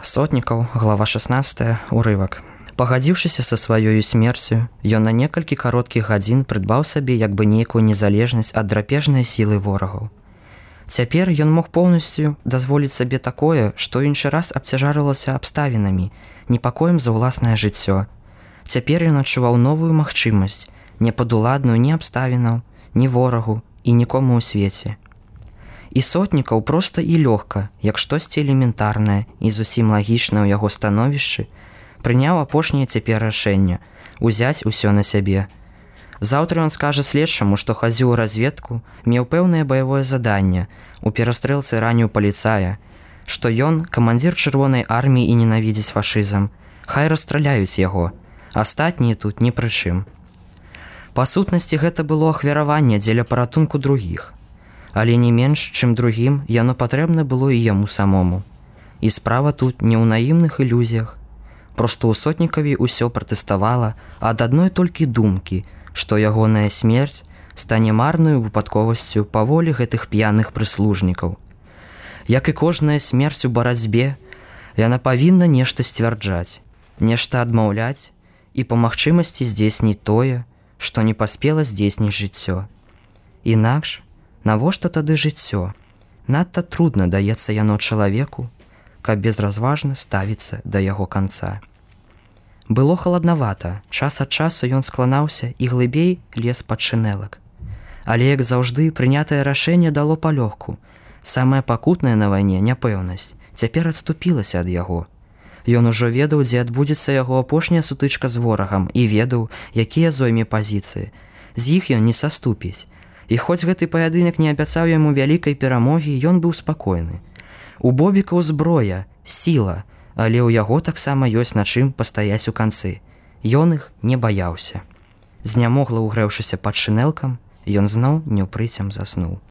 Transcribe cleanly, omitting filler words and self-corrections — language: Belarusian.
Сотнікаў, глава 16, урывак. Пагадзіўшыся са сваёю смерцю, ён на некалькі кароткіх гадзін прыдбаў сабе як бы нейкую незалежнасць ад драпежнай сілы ворагаў. Цяпер ён мог поўнасцю дазволіць сабе такое, што іншы раз абцяжарылася абставінамі, непакоем за ўласнае жыццё. Цяпер ён адчуваў новую магчымасць, не падуладную ні абставінаў, ні ворагу і нікому ў свеце. І Сотнікаў проста і лёгка, як штосьці элементарнае і зусім лагічнае ў яго становішчы, прыняў апошняе цяпер рашэнне узяць усё на сябе. Заўтра ён скажа следчаму, што хадзіў у разведку, меў пэўнае баявое заданне, у перастрэлцы раніў паліцая, што ён камандзір чырвонай арміі і ненавідзіць фашызм. Хай расстраляюць яго, астатнія тут ні пры чым. Па сутнасці гэта было ахвяраванне дзеля паратунку другіх. Але не менш, чым другім, яно патрэбна было і яму самому. І справа тут не ў наімных ілюзіях. Проста ў Сотнікаве ўсё пратэставала ад адной толькі думкі, што ягоная смерць стане марнаю выпадковасцю па волі гэтых п'яных прыслужнікаў. Як і кожная смерць у барацьбе, яна павінна нешта сцвярджаць, нешта адмаўляць і па магчымасці здзейсніць тое, што не паспела здзейсніць жыццё. Інакш, навошта тады жыццё? Надта трудна даецца яно чалавеку, каб безразважна ставіцца да яго канца. Было халаднавата, час ад часу ён скланаўся і глыбей лез пад шынэлак. Але, як заўжды, прынятае рашэнне дало палёгку. Самае пакутнае на вайне няпэўнасць цяпер адступілася ад яго. Ён ужо ведаў, дзе адбудзецца яго апошняя сутычка з ворагам і ведаў, якія зойме пазіцыі. З іх ён не саступіць. І хоць гэты паядынак не абяцаў яму вялікай перамогі, ён быў спакойны. У Бобікаў зброя, сіла, але ў яго таксама ёсць на чым пастаяць у канцы. Ён іх не баяўся. Знямогла ўгрэўшыся пад шынэлкам, ён зноў неўпрыцем заснуў.